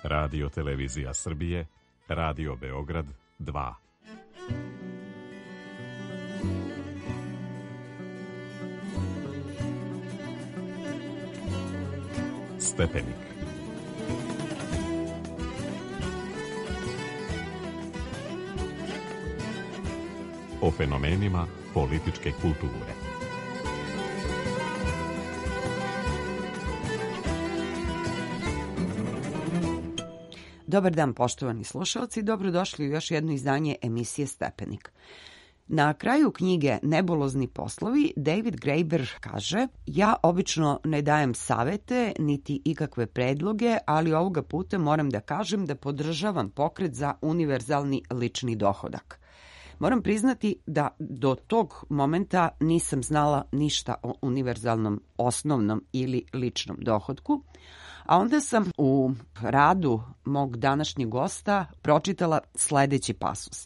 Radio Televizija Srbije, Radio Beograd 2. Stepenik. O fenomenima političke kulture. Dobar dan, poštovani slušalci, dobrodošli u još jedno izdanje emisije Stepenik. Na kraju knjige Nebulozni poslovi David Graeber kaže: ja obično ne dajem savete niti ikakve predloge, ali ovoga puta moram da kažem da podržavam pokret za univerzalni lični dohodak. Moram priznati da do tog momenta nisam znala ništa o univerzalnom osnovnom ili ličnom dohotku, a onda sam u radu mog današnjeg gosta pročitala sledeći pasus.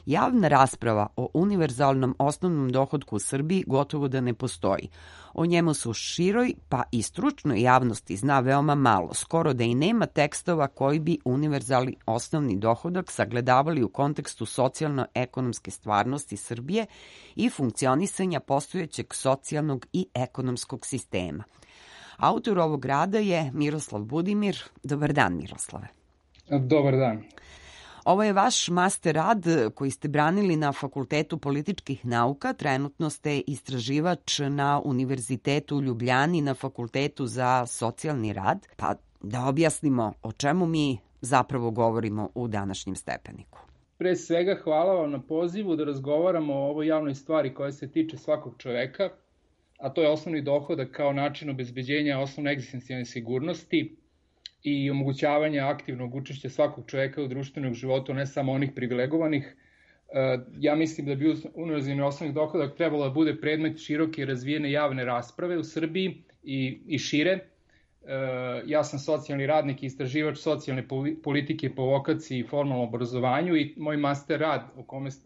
Javna rasprava o univerzalnom osnovnom dohotku u Srbiji gotovo da ne postoji. O njemu se u široj pa i stručnoj javnosti zna veoma malo, skoro da i nema tekstova koji bi univerzalni osnovni dohodak sagledavali u kontekstu socijalno-ekonomske stvarnosti Srbije i funkcionisanja postojećeg socijalnog i ekonomskog sistema. Autor ovog rada je Miroslav Budimir. Dobar dan, Miroslave. Dobar dan. Ovo je vaš master rad koji ste branili na Fakultetu političkih nauka. Trenutno ste istraživač na Univerzitetu u Ljubljani na Fakultetu za socijalni rad. Pa da objasnimo o čemu mi zapravo govorimo u današnjem Stepeniku. Pre svega hvala vam na pozivu da razgovaramo o ovoj javnoj stvari koja se tiče svakog čoveka, a to je osnovni dohodak kao način obezbeđenja osnovne egzistencijalne sigurnosti i omogućavanja aktivnog učešća svakog čoveka u društvenog života, ne samo onih privilegovanih. Ja mislim da bi univerzalni osnovni dohodak trebalo da bude predmet široke i razvijene javne rasprave u Srbiji i šire. Ja sam socijalni radnik i istraživač socijalne politike po vokaciji i formalnom obrazovanju i moj master rad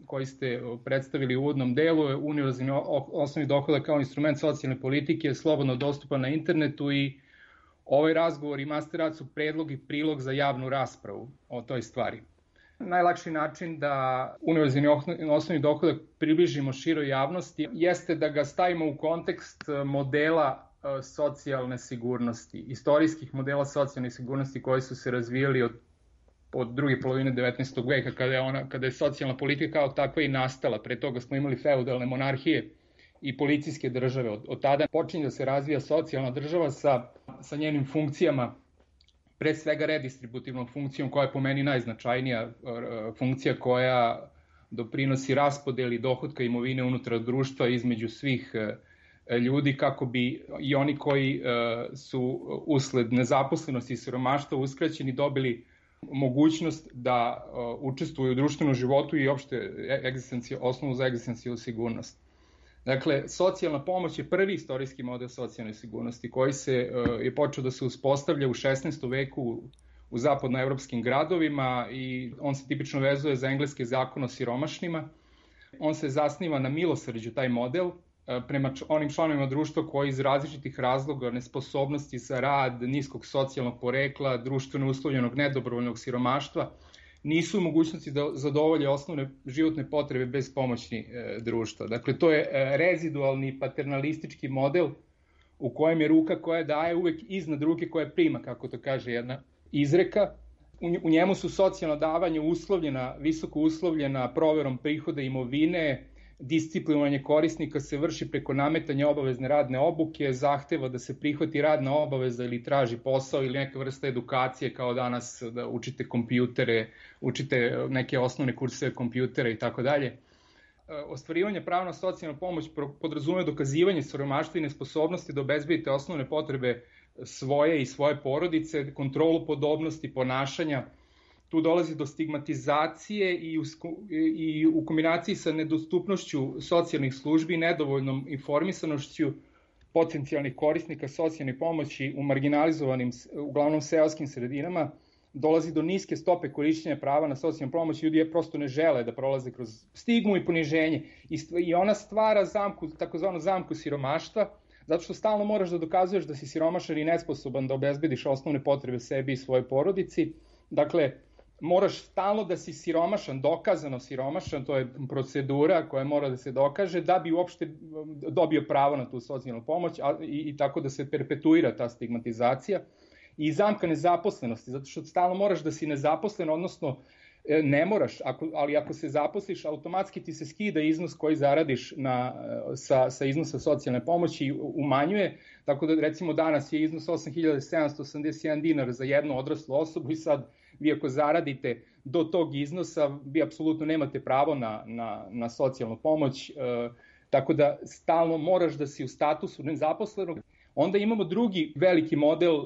koji ste predstavili u uvodnom delu je univerzalni osnovni dohodak kao instrument socijalne politike, slobodno dostupan na internetu i ovaj razgovor i master rad su predlog i prilog za javnu raspravu o toj stvari. Najlakši način da univerzalni osnovni dohodak približimo široj javnosti jeste da ga stavimo u kontekst modela socijalne sigurnosti, istorijskih modela socijalne sigurnosti koji su se razvijali od druge polovine 19. veka, kada je socijalna politika kao takva i nastala. Pre toga smo imali feudalne monarhije i policijske države. Od tada počinje da se razvija socijalna država sa njenim funkcijama, pre svega redistributivnom funkcijom, koja je po meni najznačajnija funkcija koja doprinosi raspodeli dohotka imovine unutar društva između svih ljudi, kako bi i oni koji su usled nezaposlenosti i siromaštva uskraćeni dobili mogućnost da učestvuju u društvenom životu i opšte osnovu za egzistencijalnu sigurnost. Dakle, socijalna pomoć je prvi istorijski model socijalne sigurnosti koji je počeo da se uspostavlja u 16. veku u zapadnoevropskim gradovima i on se tipično vezuje za engleski zakon o siromašnima. On se zasniva na milosrđu, taj model, prema onim članovima društva koji iz različitih razloga, nesposobnosti za rad, niskog socijalnog porekla, društveno uslovljenog nedobrovoljnog siromaštva, nisu u mogućnosti da zadovolje osnovne životne potrebe bez pomoći društva. Dakle, to je rezidualni paternalistički model u kojem je ruka koja daje uvek iznad ruke koja prima, kako to kaže jedna izreka. U njemu su socijalna davanja visoko uslovljena proverom prihoda imovine, disciplinovanje korisnika se vrši preko nametanja obavezne radne obuke, zahteva da se prihvati radna obaveza ili traži posao ili neka vrsta edukacije, kao danas da učite kompjutere, učite neke osnovne kurseve kompjutera i tako dalje. Ostvarivanje prava na socijalnu pomoć podrazumeva dokazivanje siromaštva i nesposobnosti da obezbedite osnovne potrebe svoje i svoje porodice, kontrolu podobnosti ponašanja. Tu dolazi do stigmatizacije i u kombinaciji sa nedostupnošću socijalnih službi i nedovoljnom informisanošću potencijalnih korisnika socijalne pomoći u marginalizovanim, uglavnom seoskim sredinama, dolazi do niske stope korišćenja prava na socijalnu pomoć. Ljudi prosto ne žele da prolaze kroz stigmu i poniženje i ona stvara takozvanu zamku siromaštva, zato što stalno moraš da dokazuješ da si siromašan i nesposoban da obezbediš osnovne potrebe sebi i svojoj porodici. Dakle, moraš stalno da si siromašan, dokazano siromašan, to je procedura koja mora da se dokaže da bi uopšte dobio pravo na tu socijalnu pomoć i tako da se perpetuira ta stigmatizacija. I zamka nezaposlenosti, zato što stalno moraš da si nezaposlen, odnosno ne moraš, ali ako se zaposliš, automatski ti se skida iznos koji zaradiš sa iznosa socijalne pomoći i umanjuje, tako da recimo danas je iznos 8.781 dinar za jednu odraslu osobu i sad vi ako zaradite do tog iznosa, vi apsolutno nemate pravo na socijalnu pomoć, tako da stalno moraš da si u statusu nezaposlenog. Onda imamo drugi veliki model,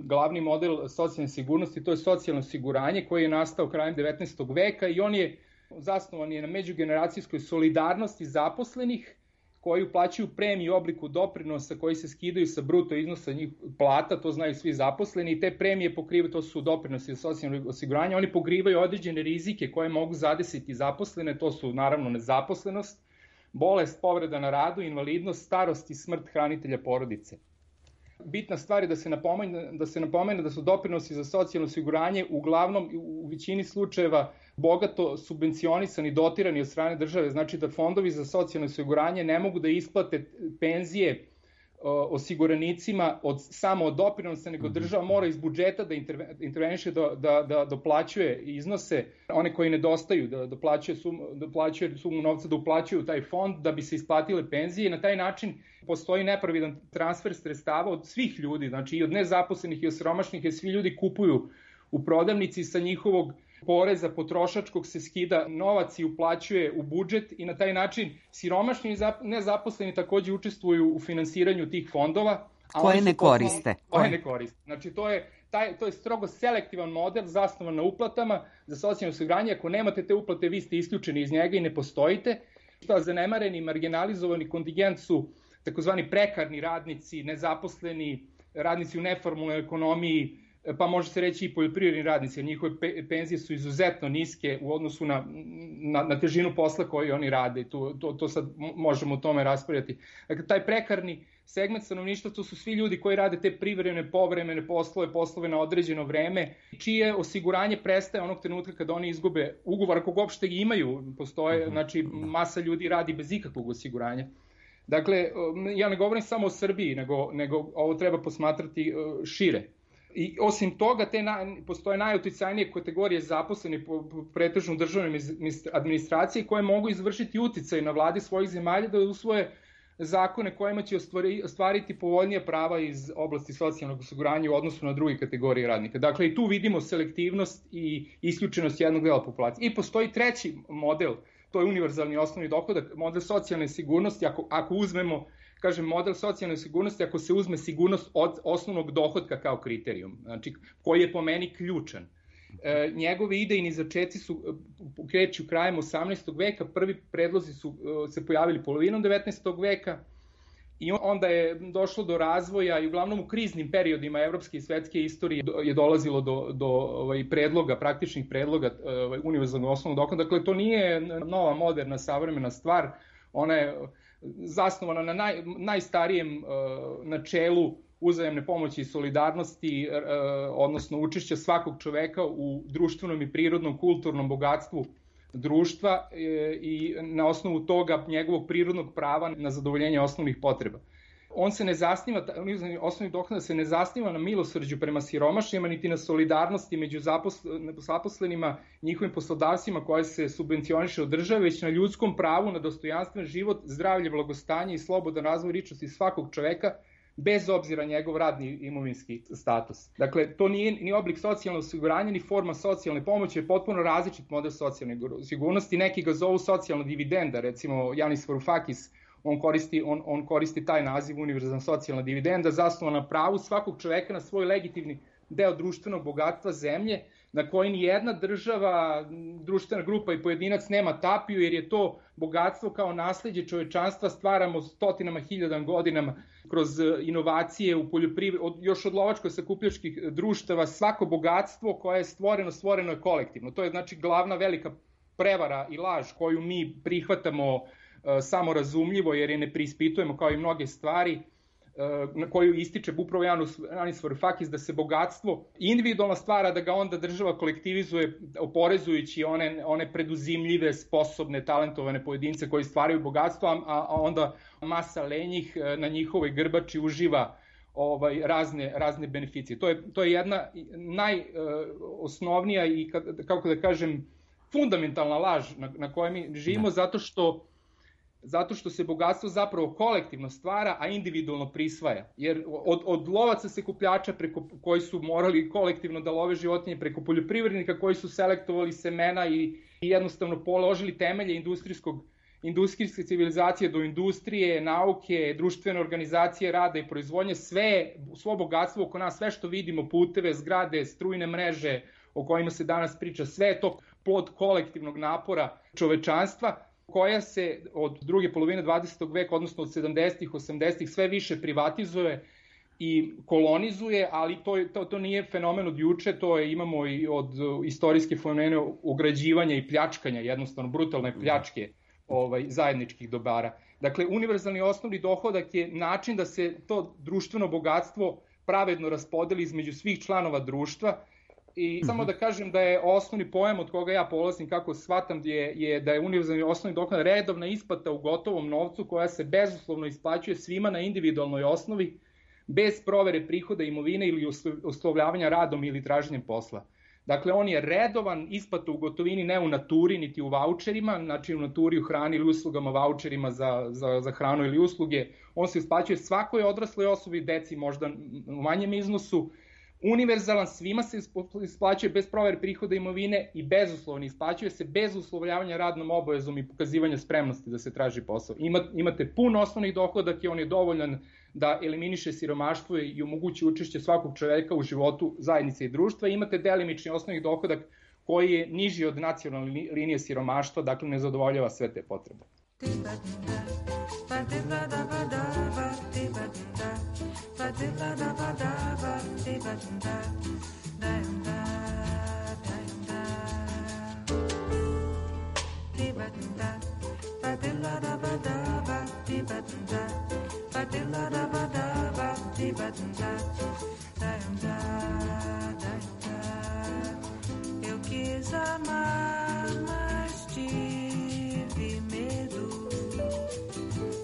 glavni model socijalne sigurnosti, to je socijalno osiguranje koje je nastao krajem 19. veka i on je zasnovan na međugeneracijskoj solidarnosti zaposlenih koji uplaćuju premiju u obliku doprinosa koji se skidaju sa bruto iznosa njih plata, to znaju svi zaposleni, i te premije pokrivaju, to su doprinosi za socijalno osiguranje, oni pokrivaju određene rizike koje mogu zadesiti zaposlene, to su naravno nezaposlenost, bolest, povreda na radu, invalidnost, starost i smrt hranitelja porodice. Bitna stvar je da se napomene da su doprinosi za socijalno osiguranje uglavnom u većini slučajeva bogato subvencionisani, dotirani od strane države, znači da fondovi za socijalno osiguranje ne mogu da isplate penzije osiguranicima samo od doprinosa, nego država mora iz budžeta da interveniše, da doplaćuje iznose, one koji nedostaju, da doplaćuje sumu novca, da uplaćuju taj fond da bi se isplatile penzije. Na taj način postoji nepravidan transfer sredstava od svih ljudi, znači i od nezaposlenih i od siromašnih, jer svi ljudi kupuju u prodavnici, sa njihovog poreza potrošačkog se skida novac i uplaćuje u budžet i na taj način siromašni i nezaposleni takođe učestvuju u finansiranju tih fondova. Koje ne koriste. Znači to je strogo selektivan model zasnovan na uplatama za socijalno osiguranje. Ako nemate te uplate, vi ste isključeni iz njega i ne postojite. Zanemareni, marginalizovani kontingent su takozvani prekarni radnici, nezaposleni, radnici u neformalnoj ekonomiji, pa može se reći i poljoprivredni radnici, jer njihove penzije su izuzetno niske u odnosu na težinu posla koji oni rade. To sad možemo o tome raspravljati. Dakle, taj prekarni segment stanovništva, to su svi ljudi koji rade te privremene, povremene poslove na određeno vreme, čije osiguranje prestaje onog trenutka kada oni izgube ugovor, ako ga uopšte imaju, postoje, znači masa ljudi radi bez ikakvog osiguranja. Dakle, ja ne govorim samo o Srbiji, nego ovo treba posmatrati šire. I osim toga, postoje najuticajnije kategorije zaposlenih po pretežno državnoj administraciji koje mogu izvršiti uticaj na vladi svojih zemalja da usvoje zakone kojima će ostvariti povoljnije prava iz oblasti socijalnog osiguranja u odnosu na druge kategorije radnika. Dakle, i tu vidimo selektivnost i isključenost jednog dela populacije. I postoji treći model, to je univerzalni osnovni dohodak, model socijalne sigurnosti, ako uzmemo, kažem, model socijalne sigurnosti, ako se uzme sigurnost od osnovnog dohotka kao kriterijum, znači koji je po meni ključan. Njegove idejni začeci kreću krajem 18. veka, prvi predlozi su se pojavili polovinom 19. veka i onda je došlo do razvoja i uglavnom u kriznim periodima evropske i svetske istorije je dolazilo do predloga, praktičnih predloga univerzalnog osnovnog dohotka. Dakle, to nije nova, moderna, savremena stvar, ona je zasnovana na najstarijem načelu uzajamne pomoći i solidarnosti, odnosno učešća svakog čoveka u društvenom i prirodnom kulturnom bogatstvu društva i na osnovu toga njegovog prirodnog prava na zadovoljenje osnovnih potreba. On se ne zasniva, osnovni dohodak se ne zasniva na milosrđu prema siromašnima, niti na solidarnosti među zaposlenima, njihovim poslodavcima koje se subvencioniše od države, već na ljudskom pravu na dostojanstven život, zdravlje, blagostanje i slobodan razvoj ličnosti svakog čoveka, bez obzira njegov radni imovinski status. Dakle, to nije ni oblik socijalnog osiguranja, ni forma socijalne pomoći, je potpuno različit model socijalne sigurnosti. Neki ga zovu socijalna dividenda, recimo Janis Varoufakis, on koristi taj naziv, univerzalna socijalna dividenda, zasnovana na pravu svakog čoveka na svoj legitimni deo društvenog bogatstva zemlje, na koji ni jedna država, društvena grupa i pojedinac nema tapiju, jer je to bogatstvo kao nasleđe čovečanstva stvaramo stotinama hiljadama godinama kroz inovacije u poljoprivredi, još od lovačko-sakupljačkih društava. Svako bogatstvo koje je stvoreno je kolektivno. To je znači glavna velika prevara i laž koju mi prihvatamo samorazumljivo, jer je ne preispitujemo kao i mnoge stvari. na koju ističe upravo Janis Varoufakis, da se bogatstvo individualno stvara, da ga onda država kolektivizuje oporezujući one preduzimljive, sposobne, talentovane pojedince koji stvaraju bogatstvo, a onda masa lenjih na njihovoj grbači uživa razne beneficije. To je jedna najosnovnija i, kako da kažem, fundamentalna laž na kojoj mi živimo, zato što se bogatstvo zapravo kolektivno stvara, a individualno prisvaja. Jer od lovaca sekupljača koji su morali kolektivno da love životinje, preko poljoprivrednika koji su selektovali semena i jednostavno položili temelje industrijske civilizacije do industrije, nauke, društvene organizacije, rada i proizvodnje, svo bogatstvo oko nas, sve što vidimo, puteve, zgrade, strujne mreže o kojima se danas priča, sve je to plod kolektivnog napora čovečanstva, koja se od druge polovine 20. veka, odnosno od 70-ih, 80-ih, sve više privatizuje i kolonizuje, ali to nije fenomen od juče, imamo i od istorijske fenomene ugrađivanja i pljačkanja, jednostavno brutalne pljačke zajedničkih dobara. Dakle, univerzalni osnovni dohodak je način da se to društveno bogatstvo pravedno raspodeli između svih članova društva. I samo da kažem da je osnovni pojam od koga ja polazim, kako shvatam, je da je univerzalni osnovni dohodak redovna isplata u gotovom novcu koja se bezuslovno isplaćuje svima na individualnoj osnovi, bez provere prihoda imovine ili uslovljavanja radom ili traženjem posla. Dakle, on je redovan, isplata u gotovini, ne u naturi, niti u vaučerima, znači u naturi, u hrani ili uslugama, vaučerima za hranu ili usluge. On se isplaćuje svakoj odrasloj osobi, deci možda u manjem iznosu, univerzalan, svima se isplaćuje bez provere prihoda imovine i bezuslovno isplaćuje se bez uslovljavanja radnom obavezom i pokazivanja spremnosti da se traži posao. Imate pun osnovni dohodak i on je dovoljan da eliminiše siromaštvo i omogući učešće svakog čoveka u životu zajednice i društva. Imate delimični osnovni dohodak koji je niži od nacionalne linije siromaštva, dakle ne zadovoljava sve te potrebe. Eu quis amar, mas tive medo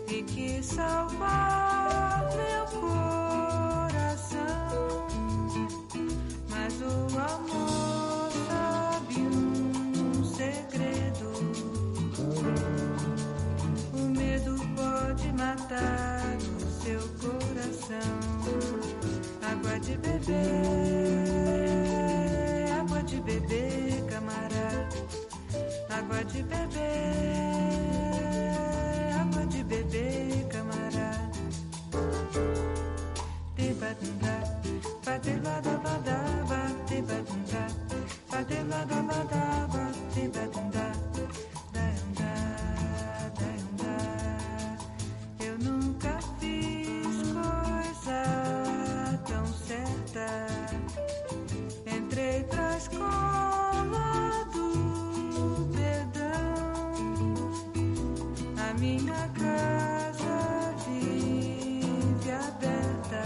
e quis salvar meu coração, mas o amor sabe segredo. O medo pode matar o seu coração. Água de beber, camarada. Água de beber, camarada. Te-ba-dum-da, ba-de-la-da-ba-da-ba, te-ba-dum-da, ba-de-la-da-ba-da-ba, te-ba-dum-da, da-dum-da, da-dum-da. Eu nunca fiz coisa tão certa. Entrei pra escola do perdão. A minha casa vive aberta.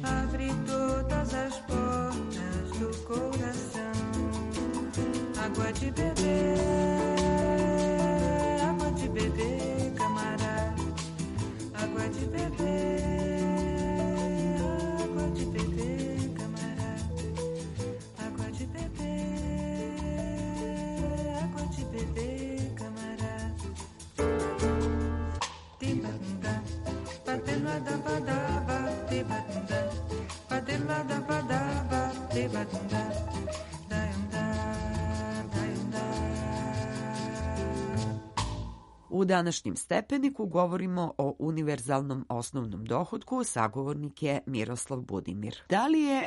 Abre todas as portas do coração. Água de beber, camarada. Água de beber. U današnjem stepeniku govorimo o univerzalnom osnovnom dohotku, sagovornik je Miroslav Budimir. Da li je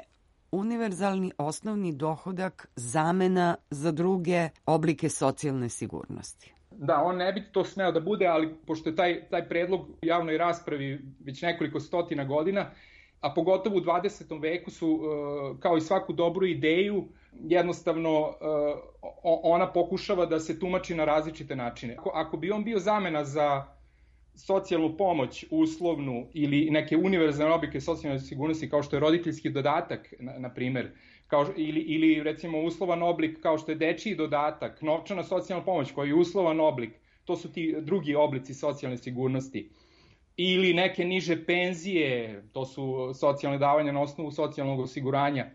univerzalni osnovni dohodak zamena za druge oblike socijalne sigurnosti? Da, on ne bi to smeo da bude, ali pošto je taj predlog u javnoj raspravi već nekoliko stotina godina, a pogotovo u 20. veku su, kao i svaku dobru ideju, jednostavno ona pokušava da se tumači na različite načine. Ako bi on bio zamena za socijalnu pomoć uslovnu ili neke univerzalne oblike socijalne sigurnosti kao što je roditeljski dodatak, na primer, ili recimo uslovan oblik kao što je dečiji dodatak, novčana socijalna pomoć koji je uslovan oblik, to su ti drugi oblici socijalne sigurnosti. Ili neke niže penzije, to su socijalne davanja na osnovu socijalnog osiguranja.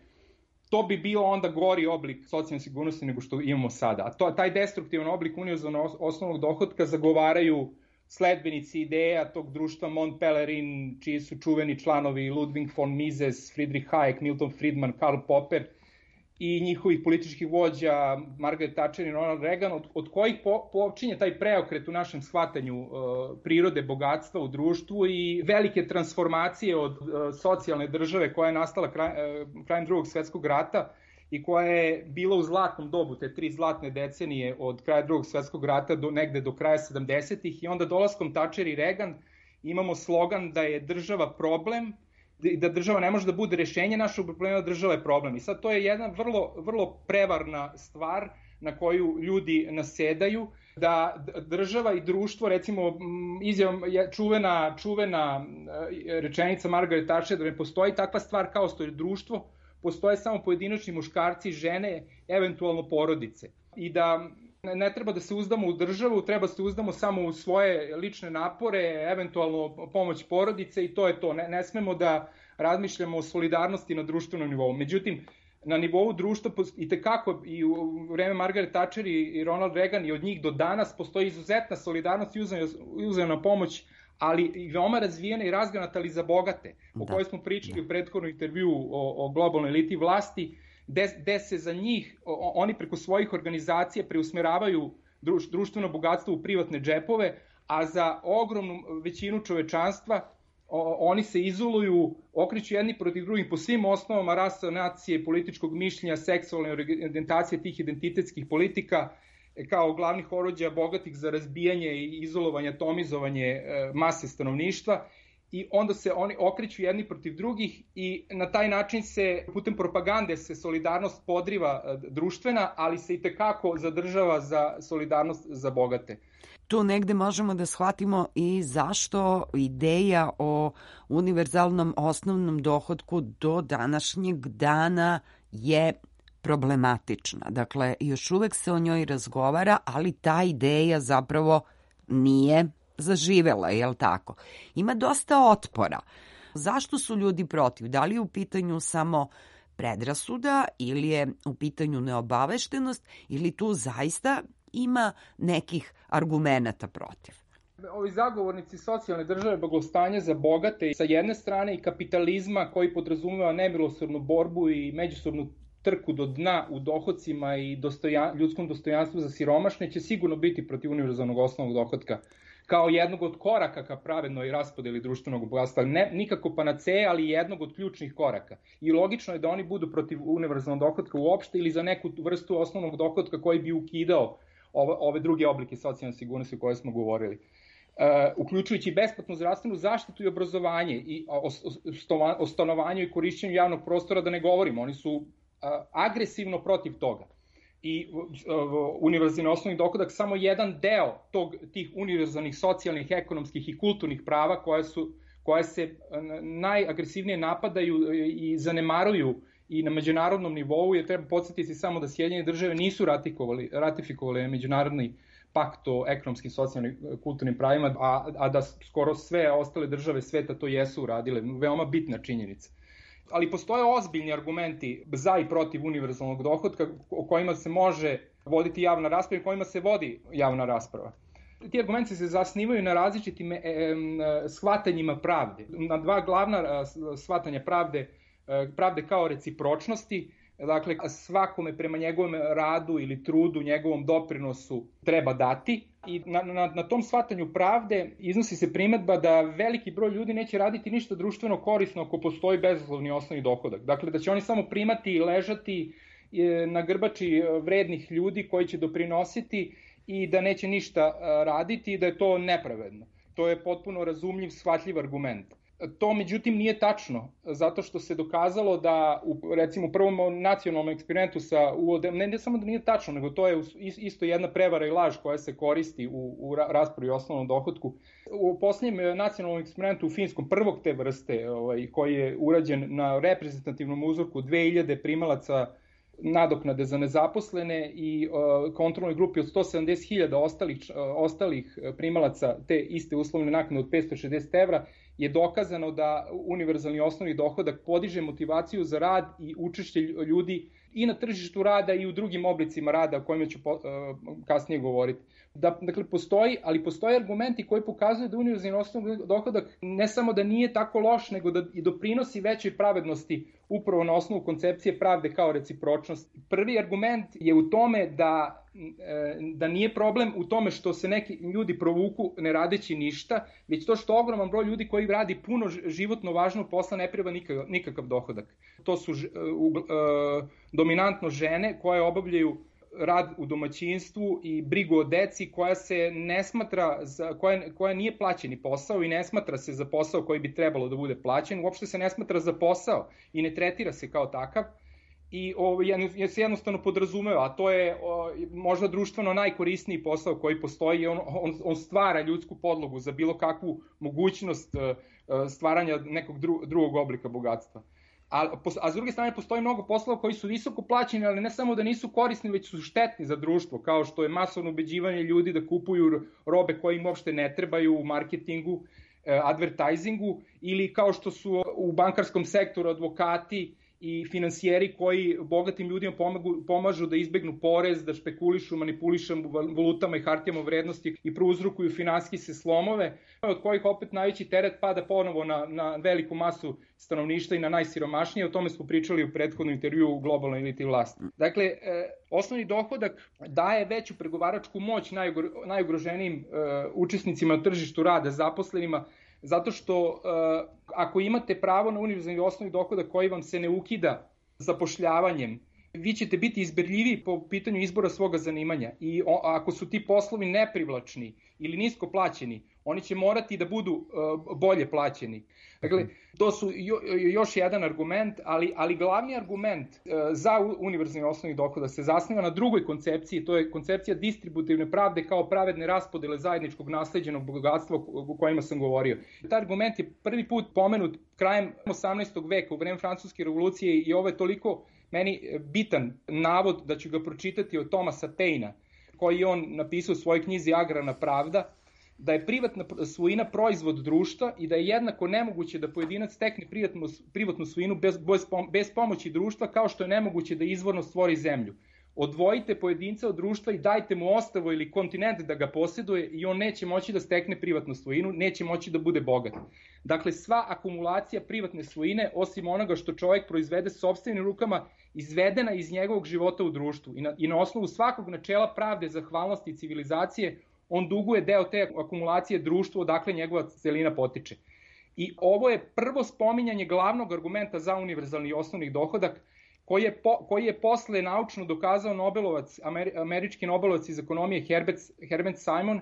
To bi bio onda gori oblik socijalne sigurnosti nego što imamo sada. A taj destruktivan oblik univerzalnog osnovnog dohotka zagovaraju sledbenici ideja tog društva Mont Pelerin, čiji su čuveni članovi Ludwig von Mises, Friedrich Hayek, Milton Friedman, Karl Popper i njihovih političkih vođa Margaret Thatcher i Ronald Reagan, od kojih počinje taj preokret u našem shvatanju prirode, bogatstva u društvu i velike transformacije od socijalne države koja je nastala krajem Drugog svetskog rata i koja je bila u zlatnom dobu, te 3 zlatne decenije od kraja Drugog svetskog rata negde do kraja 70-ih, i onda dolaskom Thatcher i Reagan imamo slogan da je država problem i da država ne može da bude rešenje našeg problema, država je problem. I sad to je jedna vrlo prevarna stvar na koju ljudi nasedaju, da država i društvo, recimo čuvena rečenica Margaret Thatcher da ne postoji takva stvar kao što je društvo, postoje samo pojedinačni muškarci, žene, eventualno porodice. I da ne treba da se uzdamo u državu, treba da se uzdamo samo u svoje lične napore, eventualno pomoć porodice i to je to. Ne smemo da razmišljamo o solidarnosti na društvenom nivou. Međutim, na nivou društva i tekako i u vreme Margaret Thatcher i Ronald Reagan i od njih do danas postoji izuzetna solidarnost i uzajamna pomoć, ali i veoma razvijena i razgranata ali za bogate, o kojoj smo pričali u prethodnom intervjuu o globalnoj eliti vlasti, gde se za njih, oni preko svojih organizacija preusmeravaju društveno bogatstvo u privatne džepove, a za ogromnu većinu čovečanstva oni se izoluju, okreću jedni protiv drugih po svim osnovama rasa, nacije, političkog mišljenja, seksualne orijentacije tih identitetskih politika, kao glavnih oruđa bogatih za razbijanje i izolovanje, atomizovanje mase stanovništva, i onda se oni okreću jedni protiv drugih i na taj način se, putem propagande se solidarnost podriva društvena, ali se i tekako zadržava za solidarnost za bogate. Tu negde možemo da shvatimo i zašto ideja o univerzalnom osnovnom dohotku do današnjeg dana je problematična. Dakle, još uvek se o njoj razgovara, ali ta ideja zapravo nije zaživela, je li tako? Ima dosta otpora. Zašto su ljudi protiv? Da li je u pitanju samo predrasuda ili je u pitanju neobaveštenost ili tu zaista ima nekih argumenata protiv? Ovi zagovornici socijalne države, blagostanja za bogate sa jedne strane i kapitalizma koji podrazumeva nemilosrdnu borbu i međusobnu trku do dna u dohocima i ljudskom dostojanstvu za siromašne, će sigurno biti protiv univerzalnog osnovnog dohotka kao jednog od koraka ka pravednoj raspodeli društvenog bogatstva. Nikako panaceja, ali jednog od ključnih koraka. I logično je da oni budu protiv univerzalnog dohotka uopšte ili za neku vrstu osnovnog dohotka koji bi ukidao ove druge oblike socijalne sigurnosti o kojoj smo govorili. Uključujući besplatnu zdravstvenu zaštitu i obrazovanje i o stanovanju i korišćenju javnog prostora da ne govorimo. Oni su agresivno protiv toga. I univerzalni osnovni dohodak samo jedan deo tih univerzalnih socijalnih, ekonomskih i kulturnih prava koje se najagresivnije napadaju i zanemaruju i na međunarodnom nivou, jer treba podsjetiti samo da Sjedinjene države nisu ratifikovali međunarodni pakt o ekonomskim, socijalnim, kulturnim pravima, a da skoro sve ostale države sveta to jesu uradile. Veoma bitna činjenica. Ali postoje ozbiljni argumenti za i protiv univerzalnog dohotka o kojima se može voditi javna rasprava i kojima se vodi javna rasprava. Ti argumenti se zasnivaju na različitim shvatanjima pravde, na dva glavna shvatanja pravde kao recipročnosti, dakle svakome prema njegovom radu ili trudu, njegovom doprinosu treba dati. I na tom shvatanju pravde iznosi se primedba da veliki broj ljudi neće raditi ništa društveno korisno ako postoji bezuslovni osnovni dohodak. Dakle, da će oni samo primati i ležati na grbači vrednih ljudi koji će doprinositi i da neće ništa raditi i da je to nepravedno. To je potpuno razumljiv, shvatljiv argument. To međutim nije tačno, zato što se dokazalo da recimo u prvom nacionalnom eksperimentu sa uvodem, ne samo da nije tačno, nego to je isto jedna prevara i laž koja se koristi u raspravi o osnovnom dohotku. U posljednjem nacionalnom eksperimentu u Finskom, prvog te vrste, koji je urađen na reprezentativnom uzorku 2000 primalaca nadoknade za nezaposlene i kontrolnoj grupi od 170.000 ostalih primalaca te iste uslovne naknade od 560 evra, je dokazano da univerzalni osnovni dohodak podiže motivaciju za rad i učešće ljudi i na tržištu rada i u drugim oblicima rada o kojima ću kasnije govoriti. Dakle, postoje argumenti koji pokazuju da univerzalni osnovni dohodak ne samo da nije tako loš, nego da i doprinosi većoj pravednosti upravo na osnovu koncepcije pravde kao recipročnost. Prvi argument je u tome da nije problem u tome što se neki ljudi provuku ne radeći ništa, već to što ogroman broj ljudi koji radi puno životno važnog posla ne treba nikakav dohodak. To su dominantno žene koje obavljaju rad u domaćinstvu i brigu o deci koja se ne smatra, koja nije plaćeni posao i ne smatra se za posao koji bi trebalo da bude plaćen, uopšte se ne smatra za posao i ne tretira se kao takav i se jednostavno podrazumeva, a to je možda društveno najkorisniji posao koji postoji, on stvara ljudsku podlogu za bilo kakvu mogućnost stvaranja nekog drugog oblika bogatstva. A s druge strane postoji mnogo poslova koji su visoko plaćeni, ali ne samo da nisu korisni, već su štetni za društvo, kao što je masovno ubeđivanje ljudi da kupuju robe koje im uopšte ne trebaju u marketingu, advertisingu, ili kao što su u bankarskom sektoru advokati i finansijeri koji bogatim ljudima pomažu da izbegnu porez, da špekulišu, manipulišu valutama i hartijama vrednosti i prouzrokuju finansijske slomove, od kojih opet najveći teret pada ponovo na veliku masu stanovništva i na najsiromašnije. O tome smo pričali u prethodnom intervju u globalnoj eliti vlasti. Dakle, osnovni dohodak daje veću pregovaračku moć najugroženijim učesnicima na tržištu rada, zaposlenima, zato što ako imate pravo na univerzalni osnovni dohodak koji vam se ne ukida zapošljavanjem, vi ćete biti izberljiviji po pitanju izbora svoga zanimanja i ako su ti poslovi neprivlačni ili nisko plaćeni, oni će morati da budu bolje plaćeni. Dakle, to su još jedan argument, ali glavni argument za univerzalni osnovni dohodak se zasniva na drugoj koncepciji, to je koncepcija distributivne pravde kao pravedne raspodele zajedničkog nasleđenog bogatstva o kojima sam govorio. Taj argument je prvi put pomenut krajem 18. veka u vreme Francuske revolucije i ovo je toliko meni bitan navod da ću ga pročitati od Thomasa Painea, koji je on napisao u svojoj knjizi Agrarna pravda, da je privatna svojina proizvod društva i da je jednako nemoguće da pojedinac stekne privatnu svojinu bez pomoći društva, kao što je nemoguće da izvorno stvori zemlju. Odvojite pojedinca od društva i dajte mu ostrvo ili kontinent da ga posjeduje i on neće moći da stekne privatnu svojinu, neće moći da bude bogat. Dakle, sva akumulacija privatne svojine, osim onoga što čovjek proizvede sopstvenim rukama, izvedena iz njegovog života u društvu i na osnovu svakog načela pravde, zahvalnosti i civilizacije, on duguje deo te akumulacije društvu odakle njegova celina potiče. I ovo je prvo spominjanje glavnog argumenta za univerzalni osnovni dohodak, koji je posle naučno dokazao američki Nobelovac iz ekonomije Herbert Simon,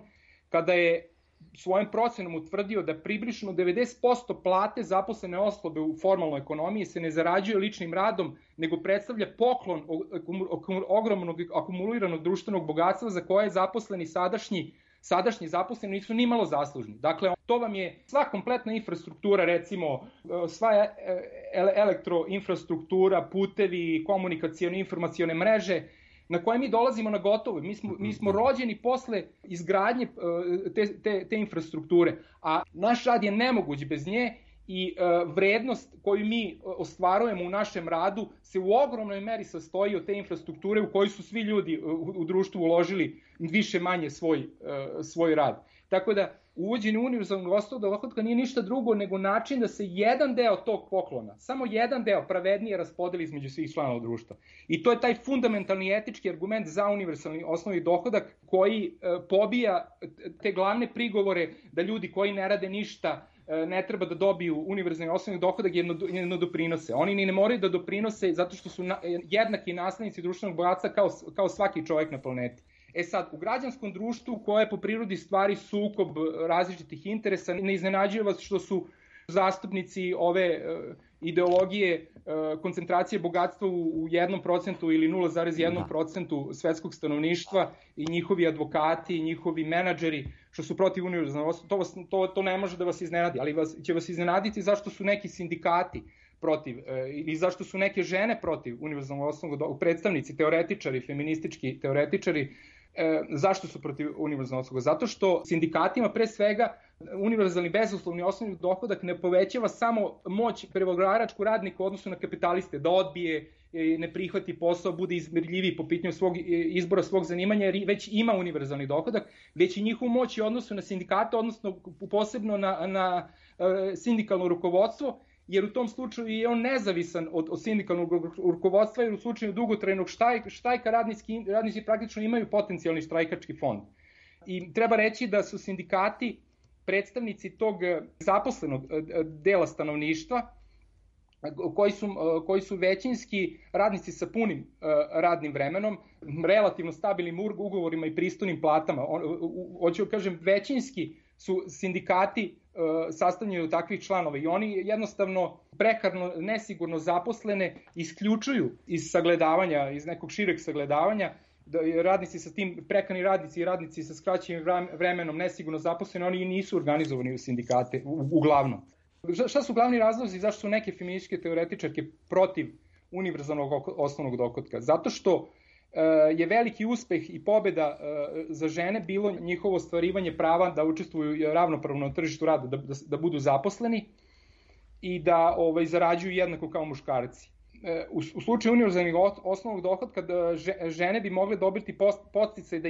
kada je svojom procenom utvrdio da približno 90% plate zaposlene osobe u formalnoj ekonomiji se ne zarađuje ličnim radom, nego predstavlja poklon ogromnog akumuliranog društvenog bogatstva za koje zaposleni sadašnji zaposleni nisu ni malo zaslužni. Dakle, to vam je sva kompletna infrastruktura, recimo sva elektroinfrastruktura, putevi, komunikacione informacione mreže, na koje mi dolazimo na gotovo. Mi smo rođeni posle izgradnje te infrastrukture, a naš rad je nemoguć bez nje i vrednost koju mi ostvarujemo u našem radu se u ogromnoj meri sastoji od te infrastrukture u kojoj su svi ljudi u društvu uložili više manje svoj rad. Tako da uvođenje univerzalnog osnovnog dohotka nije ništa drugo nego način da se jedan deo tog poklona, samo jedan deo pravednije raspodeli između svih članova društva. I to je taj fundamentalni etički argument za univerzalni osnovni dohodak koji pobija te glavne prigovore da ljudi koji ne rade ništa ne treba da dobiju univerzalni osnovni dohodak jer ne doprinose. Oni ni ne moraju da doprinose zato što su jednaki naslednici društvenog bogatstva kao svaki čovjek na planeti. Sad, u građanskom društvu koje je po prirodi stvari sukob različitih interesa, ne iznenađuje vas što su zastupnici ove ideologije koncentracije bogatstva u 1% ili 0,1% svetskog stanovništva i njihovi advokati i njihovi menadžeri što su protiv univerzalnog osnovnog, to ne može da vas iznenadi, ali će vas iznenaditi zašto su neki sindikati protiv i zašto su neke žene protiv univerzalnog osnovnog dohotka, predstavnici, teoretičari, feministički teoretičari, zašto su protiv univerzalnog osnovnog? Zato što sindikatima pre svega univerzalni bezuslovni osnovni dohodak ne povećava samo moć pregovaračku radnika u odnosu na kapitaliste, da odbije, ne prihvati posao, bude izmerljiviji po pitanju izbora svog zanimanja, jer već ima univerzalni dohodak, već i njihovu moć u odnosu na sindikate, odnosno posebno na sindikalno rukovodstvo, jer u tom slučaju je on nezavisan od sindikalnog rukovodstva, jer u slučaju dugotrajnog štajka radnici praktično imaju potencijalni štrajkački fond. I treba reći da su sindikati predstavnici tog zaposlenog dela stanovništva, koji su većinski radnici sa punim radnim vremenom, relativno stabilnim ugovorima i pristojnim platama. Hoću da kažem, većinski su sindikati sastavljeni od takvih članova i oni jednostavno prekarno, nesigurno zaposlene isključuju iz sagledavanja, iz nekog šireg sagledavanja, radnici sa tim, prekarni radnici i radnici sa skraćenim vremenom nesigurno zaposleni, oni nisu organizovani u sindikate, uglavnom. Šta su glavni razlozi zašto su neke feminističke teoretičarke protiv univerzalnog osnovnog dohotka? Zato što je veliki uspeh i pobeda za žene bilo njihovo ostvarivanje prava da učestvuju ravnopravno na tržištu rada, da budu zaposleni i da zarađuju jednako kao muškarci. U slučaju univerzalnog osnovnog dohotka žene bi mogle dobiti podsticaj da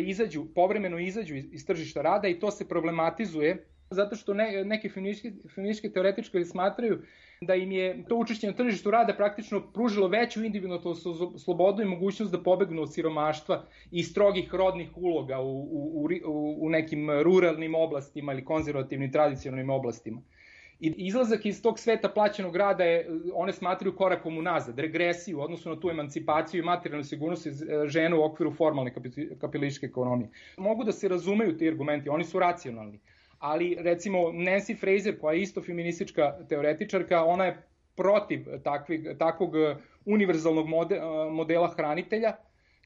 povremeno izađu iz tržišta rada i to se problematizuje zato što neke feminističke teoretičari smatraju da im je to učešće na tržištu rada praktično pružilo veću individualnu slobodu i mogućnost da pobegnu od siromaštva i strogih rodnih uloga u nekim ruralnim oblastima ili konzervativnim tradicionalnim oblastima. I izlazak iz tog sveta plaćenog rada one smatraju korakom unazad, regresiju, odnosno na tu emancipaciju i materijalnu sigurnost žena u okviru formalne kapitalističke ekonomije. Mogu da se razumeju ti argumenti, oni su racionalni. Ali recimo Nancy Fraser, koja je isto feministička teoretičarka, ona je protiv takvog univerzalnog modela hranitelja,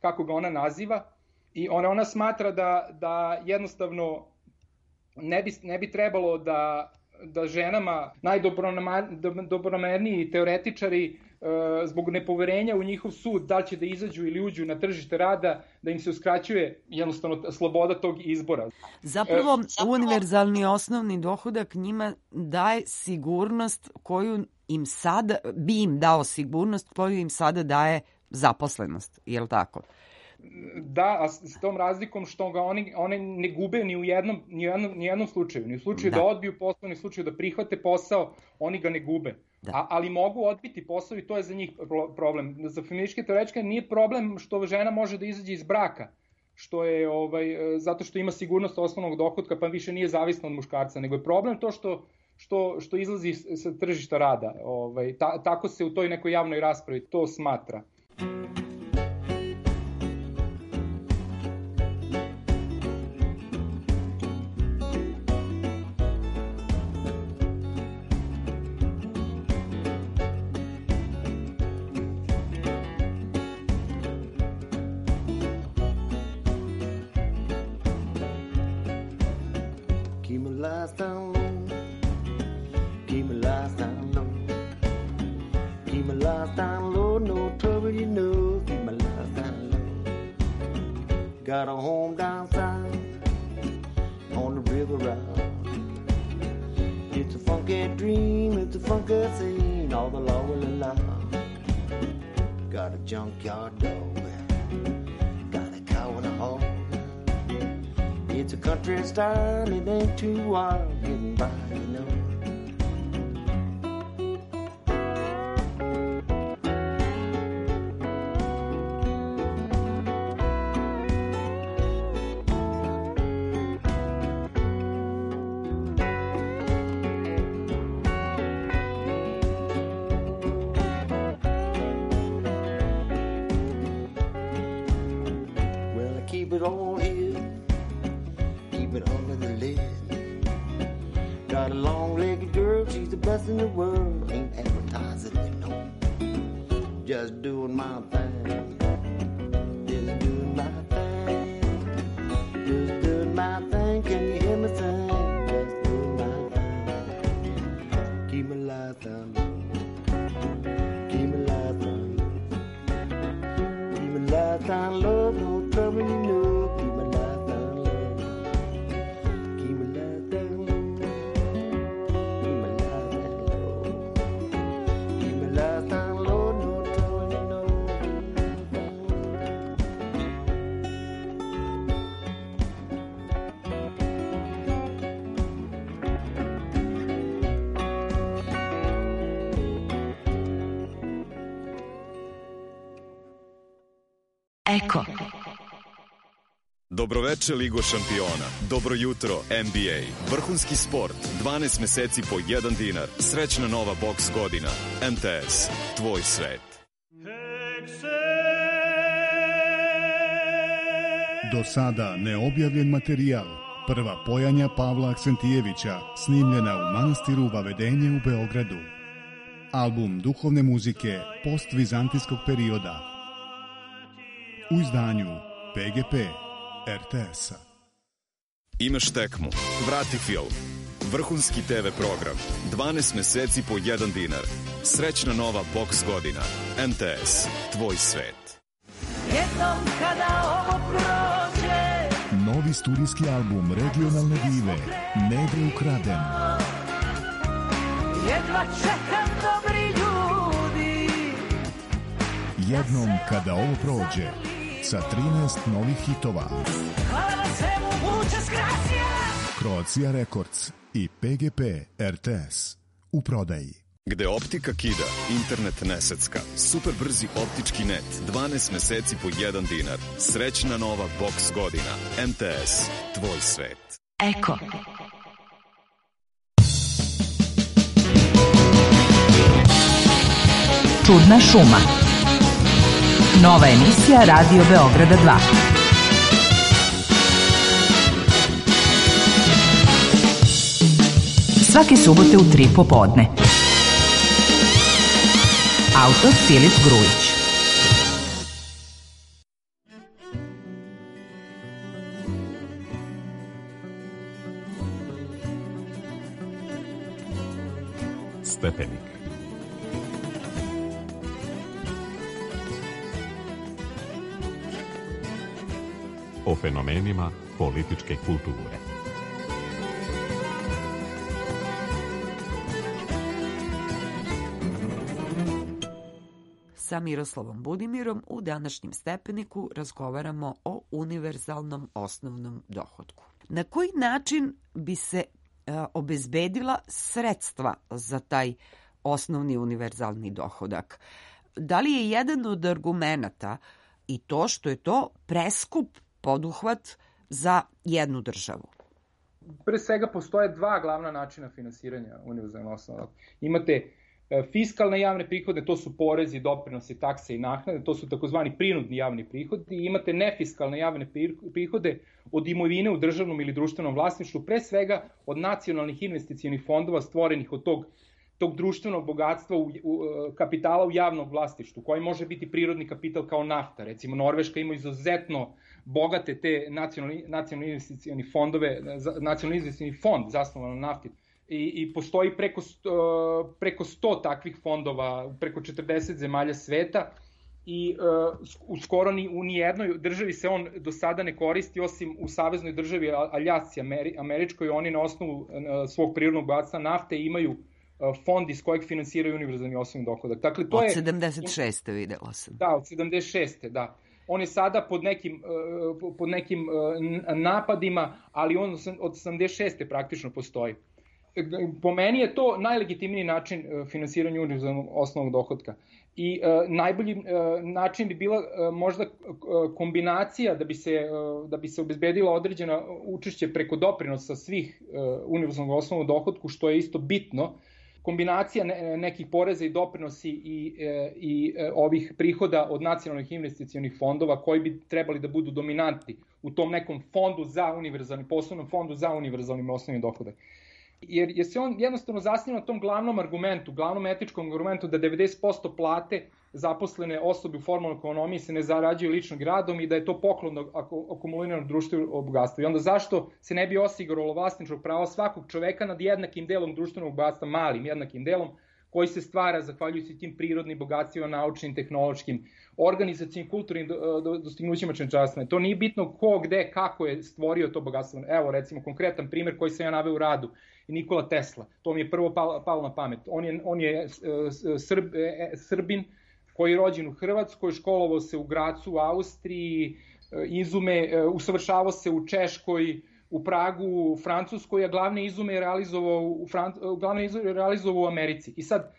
kako ga ona naziva, i ona smatra da jednostavno ne bi trebalo da ženama najdobronamerniji teoretičari zbog nepoverenja u njihov sud, da li će da izađu ili uđu na tržište rada, da im se uskraćuje jednostavno sloboda tog izbora. Zapravo, univerzalni osnovni dohodak njima daje sigurnost koju im sada, bi im dao sigurnost koju im sada daje zaposlenost, je li tako? Da, a s tom razlikom što ga one ne gube ni u jednom slučaju. Ni u slučaju da odbiju posao, ni u slučaju da prihvate posao, oni ga ne gube. Ali mogu odbiti posao i to je za njih problem. Za feminističke teoretičare nije problem što žena može da izađe iz braka, što je zato što ima sigurnost osnovnog dohotka pa više nije zavisna od muškarca, nego je problem to što izlazi sa tržišta rada. Tako se u toj nekoj javnoj raspravi to smatra. Got a home down south on the river route. It's a funky dream, it's a funky scene, all the law will allow. Got a junkyard dog, got a cow and a hog. It's a country style, it ain't too wild, getting by, you know. Keep it all here, keep it under the lid. Got a long-legged girl, she's the best Just doing my thing. Just doing my thing. Can you hear me sing? Just doing my thing. Keep my life on. Keep my life on. Keep my life on, love. No trouble, you know. Keep my life on, love. Keep my life on, love. Keep my life on, love. Keep my life on, Lord. No trouble, you know. Eko. Dobroveče Ligo šampiona, dobro jutro NBA, vrhunski sport, 12 meseci po 1 dinar, srećna nova boks godina, MTS, tvoj svet. Do sada neobjavljen materijal. Prva pojanja Pavla Aksentijevića, snimljena u manastiru Vavedenje u Beogradu. Album duhovne muzike postvizantijskog perioda. U izdanju PGP RTS-a. Imaš tekmu, vrati film, vrhunski TV program, 12 meseci po 1 dinar, srećna nova boks godina, MTS, tvoj svet. Jednom kada ovo prođe, Novi studijski album regionalne dive Negre ukraden. jedva čekam dobri ljudi. Jednom kada ovo prođe, sa 13 novih hitova. Hvala na svemu, muchas gracias. Croatia Records i PGP RTS u prodaji. Gde optika kida, internet ne secka, super brzi optički net, 12 meseci po 1 dinar, srećna nova boks godina, MTS, tvoj svet. Eko. Čudna šuma. Nova emisija Radio Beograda 2. Svake subote u 3 popodne. Autor Filip Grujić. Stepenik. O fenomenima političke kulture. Sa Miroslavom Budimirom u današnjem Stepeniku razgovaramo o univerzalnom osnovnom dohotku. Na koji način bi se obezbedila sredstva za taj osnovni univerzalni dohodak? Da li je jedan od argumenata i to što je to preskup poduhvat za jednu državu? Pre svega postoje dva glavna načina finansiranja univerzalnog osnovnog dohotka. Imate fiskalne javne prihode, to su porezi, doprinosi, takse i naknade, to su takozvani prinudni javni prihodi, i imate nefiskalne javne prihode od imovine u državnom ili društvenom vlasništvu, pre svega od nacionalnih investicionih fondova stvorenih od tog društvenog bogatstva kapitala u javnom vlasništvu, koji može biti prirodni kapital kao nafta. Recimo, Norveška ima izuzetno bogate te nacionalni investicioni fondove, nacionalni investicioni fond zasnovan na nafti. I postoji preko 100 takvih fondova, preko 40 zemalja sveta, i u skoro ni u nijednoj državi se on do sada ne koristi, osim u saveznoj državi Aljasci američkoj. Oni na osnovu svog prirodnog bogatstva nafte imaju fond iz kojeg finansiraju univerzalni osnovni dohodak. Dakle, to od je 76. videla sam. Da, od 76. da. On je sada pod nekim napadima, ali on od 86. praktično postoji. Po meni je to najlegitimniji način finansiranja univerzalnog osnovnog dohotka. I najbolji način bi bila možda kombinacija da bi se obezbedila određena učešće preko doprinosa svih univerzalnog osnovnog dohotku, što je isto bitno. Kombinacija nekih poreza i doprinosi i ovih prihoda od nacionalnih investicionih fondova, koji bi trebali da budu dominantni u tom nekom fondu za univerzalni, poslovnom fondu za univerzalni osnovni dohodak. Jer se on jednostavno zasniva na tom glavnom argumentu, glavnom etičkom argumentu da 90% plate zaposlene osobe u formalnoj ekonomiji se ne zarađuju ličnim radom i da je to poklon akumuliranog društvenog bogatstva. I onda zašto se ne bi osiguralo vlasničko pravo svakog čoveka nad jednakim delom društvenog bogatstva, malim jednakim delom, koji se stvara zahvaljujući tim prirodnim bogatstvima, naučnim, tehnološkim, organizacijim, kulturnim dostignućima čovečanstva. To nije bitno ko, gde, kako je stvorio to bogatstvo. Evo, recimo, konkretan primjer koji sam ja naveo u radu, Nikola Tesla. To mi je prvo palo na pamet. On je Srbin koji je rođen u Hrvatskoj, školovao se u Gracu, u Austriji, usavršavao se u Češkoj, u Pragu, u Francuskoj, a glavne izume je realizovao u Americi. I sad,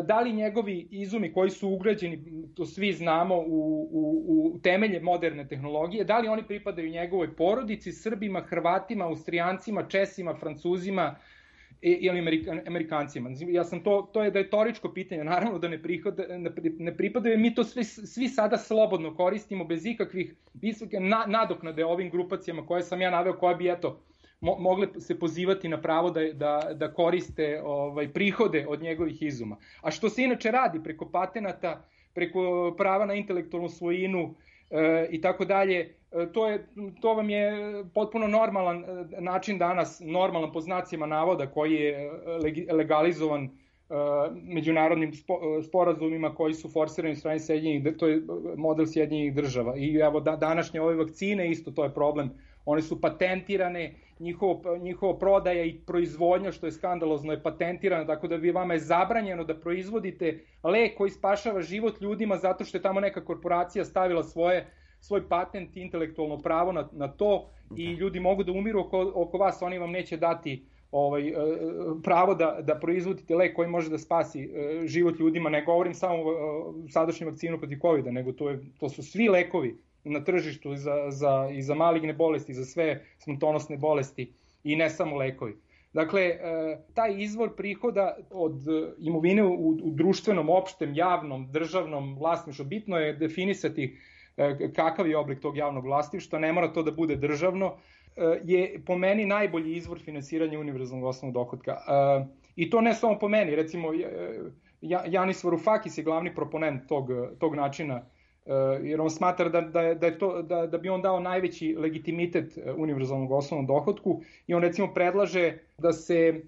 da li njegovi izumi koji su ugrađeni, to svi znamo, u temelje moderne tehnologije, da li oni pripadaju njegovoj porodici, Srbima, Hrvatima, Austrijancima, Česima, Francuzima ili Amerikancima? Ja sam to je retoričko pitanje, naravno da ne pripadaju, mi to svi sada slobodno koristimo bez ikakvih nadoknade ovim grupacijama koje sam ja naveo, koje bi mogle se pozivati na pravo da koriste prihode od njegovih izuma. A što se inače radi preko patenata, preko prava na intelektualnu svojinu i tako dalje, to vam je potpuno normalan način danas, normalan po znacima navoda, koji je legalizovan međunarodnim sporazumima koji su forsirani u strani to je model Sjedinjenih država. I evo današnje ove vakcine, isto to je problem. One su patentirane, njihovo prodaja i proizvodnja, što je skandalozno, je patentirana, tako da vama je zabranjeno da proizvodite lek koji spašava život ljudima zato što je tamo neka korporacija stavila svoj patent i intelektualno pravo na to i ljudi mogu da umiru oko vas, oni vam neće dati pravo da proizvodite lek koji može da spasi život ljudima. Ne govorim samo o sadašnjem vakcinu protiv COVID-a, nego to su svi lekovi na tržištu i za maligne bolesti, i za sve smrtonosne bolesti i ne samo lekovi. Dakle, taj izvor prihoda od imovine u društvenom, opštem, javnom, državnom vlasništvu, bitno je definisati kakav je oblik tog javnog vlasništva, ne mora to da bude državno, je po meni najbolji izvor finansiranja univerzalnog osnovnog dohotka. I to ne samo po meni, recimo Yanis Varoufakis je glavni proponent tog načina, jer on smatra da bi on dao najveći legitimitet univerzalnog osnovnog dohotku i on recimo predlaže da se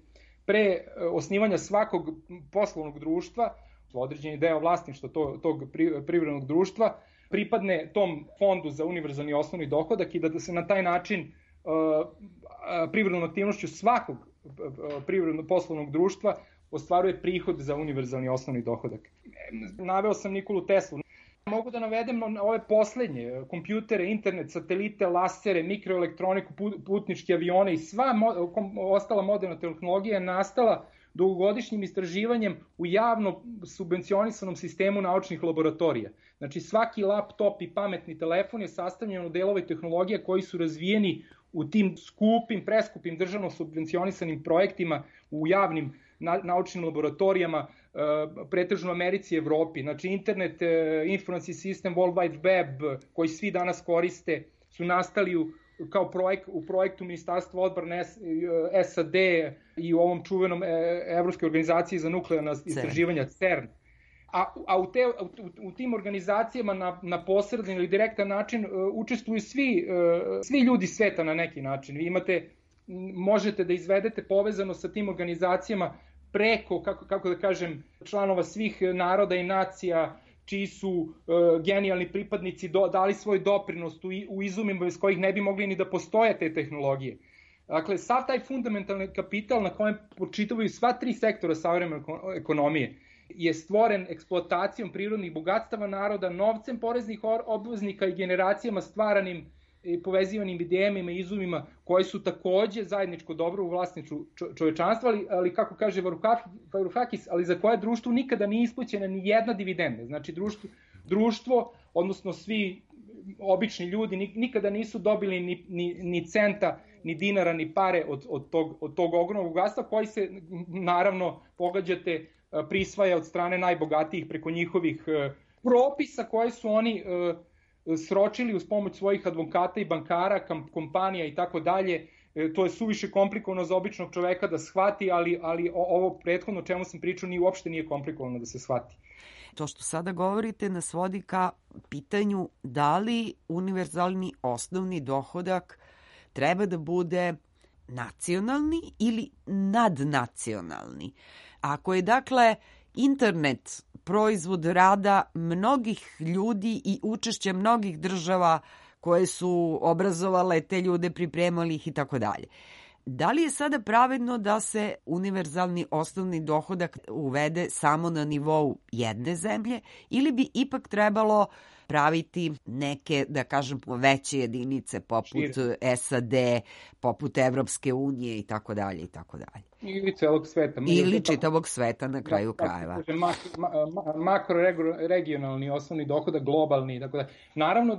pre osnivanja svakog poslovnog društva, određeni deo vlasništva tog privrednog društva, pripadne tom fondu za univerzalni osnovni dohodak i da se na taj način privrednom aktivnošću svakog privrednog poslovnog društva ostvaruje prihod za univerzalni osnovni dohodak. Naveo sam Nikolu Teslu. Mogu da navedem ove poslednje, kompjutere, internet, satelite, lasere, mikroelektroniku, putničke avione i sva ostala moderna tehnologija je nastala dugogodišnjim istraživanjem u javno subvencionisanom sistemu naučnih laboratorija. Znači svaki laptop i pametni telefon je sastavljen od delova tehnologije koji su razvijeni u tim preskupim državno subvencionisanim projektima u javnim naučnim laboratorijama, pretežno u Americi i Evropi. Znači internet, informacijski sistem, World Wide Web, koji svi danas koriste, su nastali kao u projektu Ministarstva odbrane SAD i u ovom čuvenom Evropskoj organizaciji za nuklearna istraživanja CERN. A u tim organizacijama na posredan ili direktan način učestvuju svi ljudi sveta na neki način. Vi možete da izvedete povezano sa tim organizacijama preko, kako da kažem, članova svih naroda i nacija, čiji su genijalni pripadnici dali svoj doprinos u izumima bez kojih ne bi mogli ni da postoje te tehnologije. Dakle, sav taj fundamentalni kapital na kojem počitavaju sva tri sektora savremene ekonomije je stvoren eksploatacijom prirodnih bogatstava naroda, novcem poreznih obveznika i generacijama stvaranim i povezivanim idejama i izumima koji su takođe zajedničko dobro u vlasništvu čovečanstva, ali kako kaže Varoufakis, ali za koje društvu nikada nije isplaćena ni jedna dividenda. Znači društvo, odnosno svi obični ljudi nikada nisu dobili ni centa, ni dinara, ni pare od tog ogromnog bogatstva koji se, naravno, pogađate, prisvaja od strane najbogatijih preko njihovih propisa koje su oni sročili uz pomoć svojih advokata i bankara, kompanija i tako dalje, to je suviše komplikovano za običnog čoveka da shvati, ali ovo prethodno čemu sam pričao uopšte nije komplikovano da se shvati. To što sada govorite nas vodi ka pitanju da li univerzalni osnovni dohodak treba da bude nacionalni ili nadnacionalni. Ako je dakle internet proizvod rada mnogih ljudi i učešća mnogih država koje su obrazovale te ljude, pripremali ih i tako dalje. Da li je sada pravedno da se univerzalni osnovni dohodak uvede samo na nivou jedne zemlje ili bi ipak trebalo praviti neke, da kažem, veće jedinice poput SAD, poput Evropske unije i tako dalje i tako dalje. Ili celog sveta. Ili čitavog sveta na kraju krajeva. Makroregionalni osnovni dohodak, globalni i tako dalje. Naravno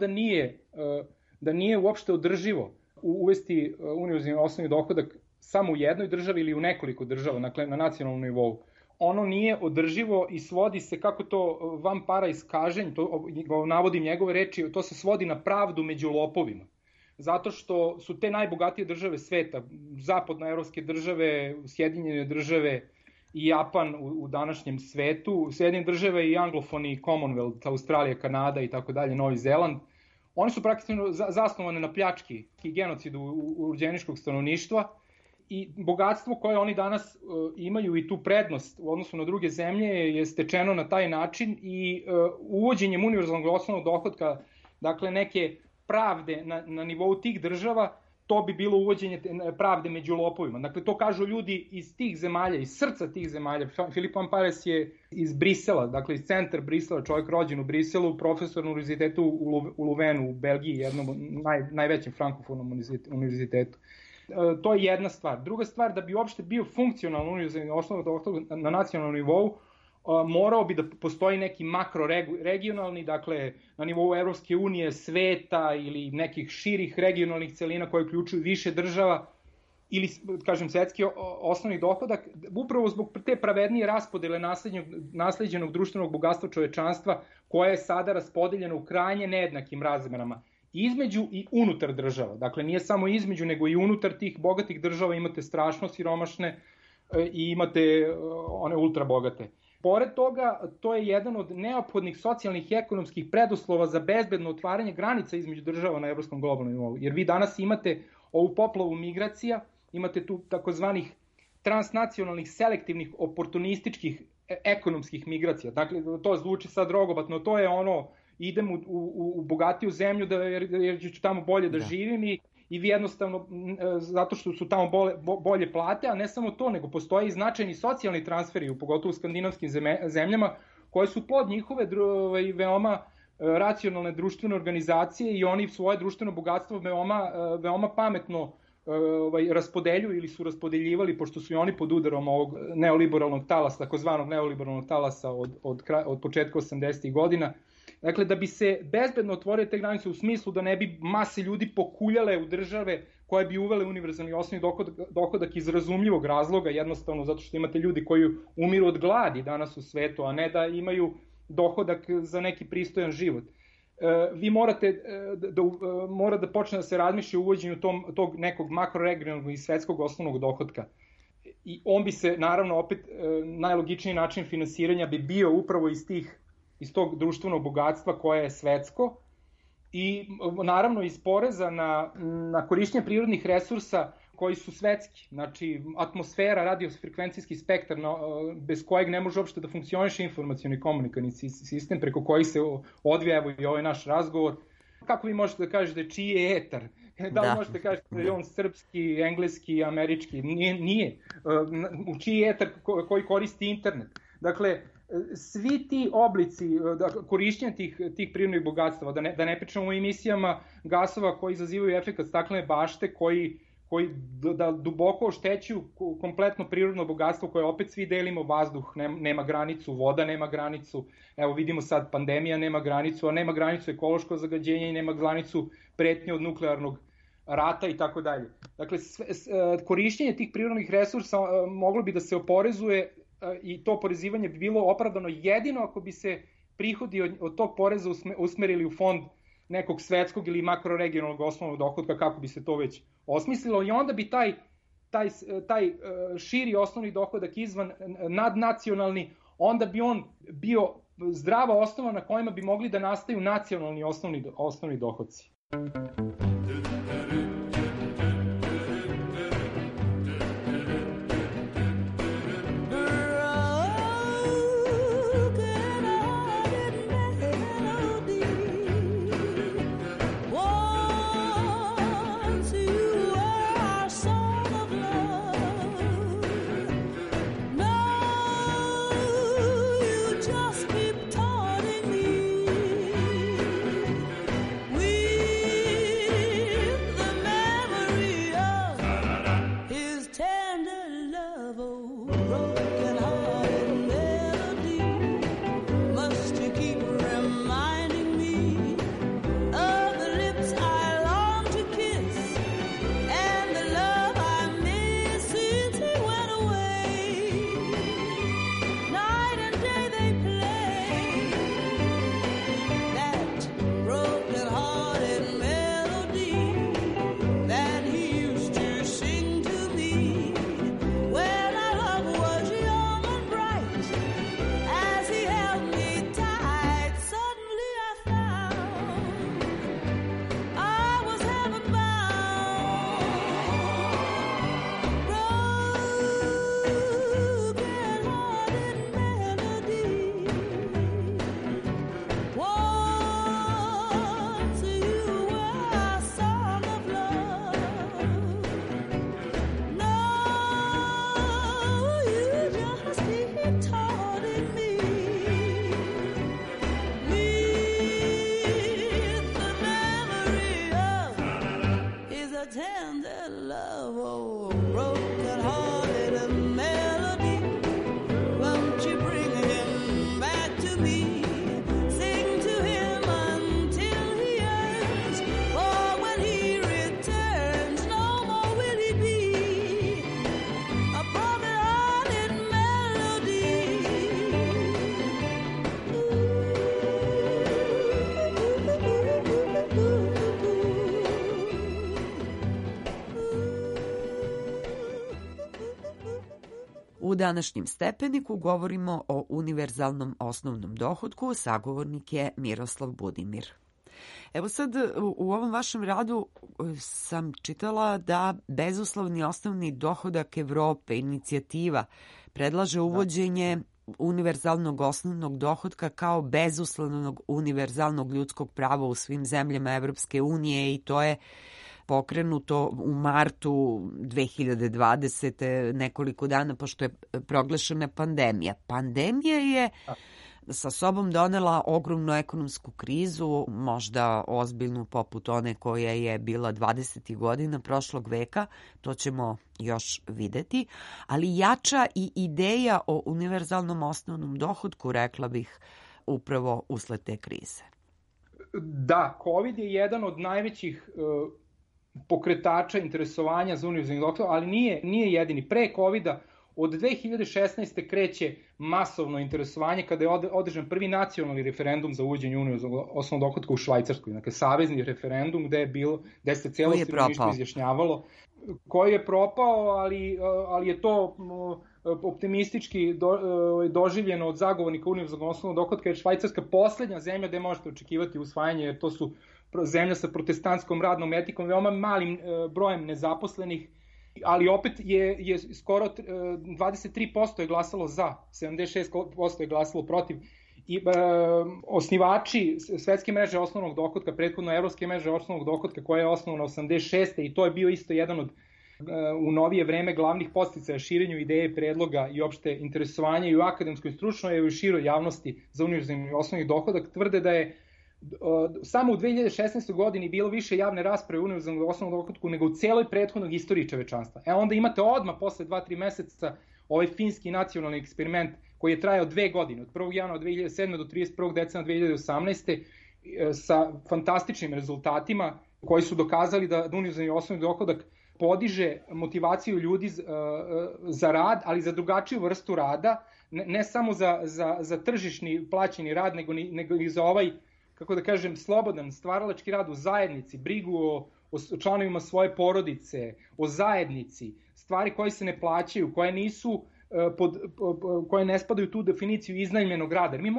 da nije uopšte održivo uvesti univerzalni osnovni dohodak samo u jednoj državi ili u nekoliko država, dakle na nacionalnom nivou. Ono nije održivo i svodi se, kako to van para iskaženj, to navodim njegove reči, to se svodi na pravdu među lopovima. Zato što su te najbogatije države sveta, zapadnoevropske države, Sjedinjene države i Japan u današnjem svetu, Sjedinjene države i anglofoni, Commonwealth, Australija, Kanada i tako dalje, Novi Zeland, one su praktično zasnovane na pljački i genocidu urođeničkog stanovništva i bogatstvo koje oni danas imaju i tu prednost u odnosu na druge zemlje je stečeno na taj način i uvođenjem univerzalnog osnovnog dohotka, dakle neke pravde na nivou tih država, to bi bilo uvođenje pravde među lopovima. Dakle, to kažu ljudi iz tih zemalja, iz srca tih zemalja. Filip Van Pares je iz Brisela, dakle iz centra Brisela, čovjek rođen u Briselu, profesor na univerzitetu u Luvenu, u Belgiji, jednom najvećem frankofonom univerzitetu. To je jedna stvar. Druga stvar, da bi uopšte bio funkcionalno univerzalni osnovni dohodak na nacionalnom nivou, morao bi da postoji neki makroregionalni, dakle na nivou Evropske unije, sveta ili nekih širih regionalnih celina koje uključuju više država ili, kažem, svetski osnovni dohodak, upravo zbog te pravednije raspodele nasleđenog društvenog bogatstva čovečanstva koje je sada raspodeljeno u krajnje nejednakim razmerama između i unutar država. Dakle, nije samo između, nego i unutar tih bogatih država imate strašno siromašne i imate one ultra bogate. Pored toga, to je jedan od neophodnih socijalnih i ekonomskih preduslova za bezbedno otvaranje granica između država na evropskom globalnom nivou. Jer vi danas imate ovu poplavu migracija, imate tu takozvanih transnacionalnih, selektivnih, oportunističkih ekonomskih migracija. Dakle, to zvuči sad rogobatno, to je ono, idem u bogatiju zemlju jer ću tamo bolje da živim i vi jednostavno, zato što su tamo bolje plate, a ne samo to, nego postoje i značajni socijalni transferi, pogotovo u skandinavskim zemljama, koje su plod njihove veoma racionalne društvene organizacije i oni svoje društveno bogatstvo veoma pametno raspodeljuju ili su raspodeljivali, pošto su i oni pod udarom ovog neoliberalnog talasa, takozvanog neoliberalnog talasa od početka 80. godina. Dakle, da bi se bezbedno otvorile te granice u smislu da ne bi mase ljudi pokuljale u države koje bi uvele univerzalni osnovni dohodak iz razumljivog razloga, jednostavno zato što imate ljudi koji umiru od gladi danas u svetu, a ne da imaju dohodak za neki pristojan život. Vi mora da počne da se razmišlja o uvođenju tog nekog makroregionalnog i svetskog osnovnog dohotka. I on bi se, naravno, opet najlogičniji način finansiranja bi bio upravo iz tog društvenog bogatstva koje je svetsko i naravno iz poreza na korišćenje prirodnih resursa koji su svetski, znači atmosfera, radiofrekvencijski spektar bez kojeg ne može uopšte da funkcioniše informacioni komunikacioni sistem preko kojih se odvija evo i ovaj naš razgovor. Kako vi možete da kažete čiji je etar? Da li možete da kažete da je on srpski, engleski, američki? Nije. U čiji je etar koji koristi internet? Dakle, svi ti oblici korišćenja tih prirodnih bogatstava, da ne pričamo o emisijama gasova koji izazivaju efekat staklene bašte, koji da duboko oštećuju kompletno prirodno bogatstvo koje opet svi delimo, vazduh nema granicu, voda nema granicu, evo vidimo sad pandemija nema granicu, a nema granicu ekološko zagađenje i nema granicu pretnje od nuklearnog rata i tako dalje. Dakle, korišćenje tih prirodnih resursa moglo bi da se oporezuje i to oporezivanje bi bilo opravdano jedino ako bi se prihodi od tog poreza usmerili u fond nekog svetskog ili makroregionalnog osnovnog dohotka, kako bi se to već osmislilo, i onda bi taj širi osnovni dohodak izvan nadnacionalni, onda bi on bio zdrava osnova na kojima bi mogli da nastaju nacionalni osnovni dohodci. U današnjem stepeniku govorimo o univerzalnom osnovnom dohotku, sagovornik je Miroslav Budimir. Evo sad, u ovom vašem radu sam čitala da bezuslovni osnovni dohodak Evrope, inicijativa, predlaže uvođenje univerzalnog osnovnog dohotka kao bezuslovnog univerzalnog ljudskog prava u svim zemljama Evropske unije i to je pokrenuto u martu 2020. nekoliko dana pošto je proglašena pandemija. Pandemija je sa sobom donela ogromnu ekonomsku krizu, možda ozbiljnu poput one koja je bila 20. godina prošlog veka, to ćemo još videti, ali jača i ideja o univerzalnom osnovnom dohotku, rekla bih, upravo usled te krize. Da, COVID je jedan od najvećih pokretača interesovanja za univerzalni dohodak, ali nije jedini. Pre COVID-a od 2016. kreće masovno interesovanje kada je održan prvi nacionalni referendum za uvođenje univerzalnog osnovnog dohotka u Švajcarskoj. Dakle, savezni referendum gde se celo stanovništvo izjašnjavalo. Koji je propao, ali je to optimistički doživljeno od zagovornika univerzalnog osnovnog dohotka, jer Švajcarska poslednja zemlja gde možete očekivati usvajanje, jer to su zemlja sa protestantskom radnom etikom, veoma malim brojem nezaposlenih, ali opet je skoro 23% je glasalo za, 76% je glasalo protiv. I osnivači Svetske mreže osnovnog dohotka, prethodno Evropske mreže osnovnog dohotka koja je osnovana 86. i to je bio isto jedan od u novije vreme glavnih podsticaja širenju ideje, predloga i opšte interesovanja i u akademskoj, stručnoj i u široj javnosti za univerzalni osnovni dohodak, tvrde da je samo u 2016. godini bilo više javne rasprave u univerzalnom osnovnom dohotku nego u celoj prethodnog istoriji čovečanstva. Onda imate odmah posle 2-3 meseca ovaj finski nacionalni eksperiment koji je trajao 2 godine, od 1. januara 2007. do 31. decembra 2018. sa fantastičnim rezultatima koji su dokazali da univerzalni osnovni dohodak podiže motivaciju ljudi za rad, ali za drugačiju vrstu rada, ne samo za tržišni plaćeni rad, nego i za ovaj kako da kažem, slobodan stvaralački rad u zajednici, brigu o članovima svoje porodice, o zajednici, stvari koje se ne plaćaju, koje nisu koje ne spadaju u tu definiciju iznajmljenog rada. Jer mi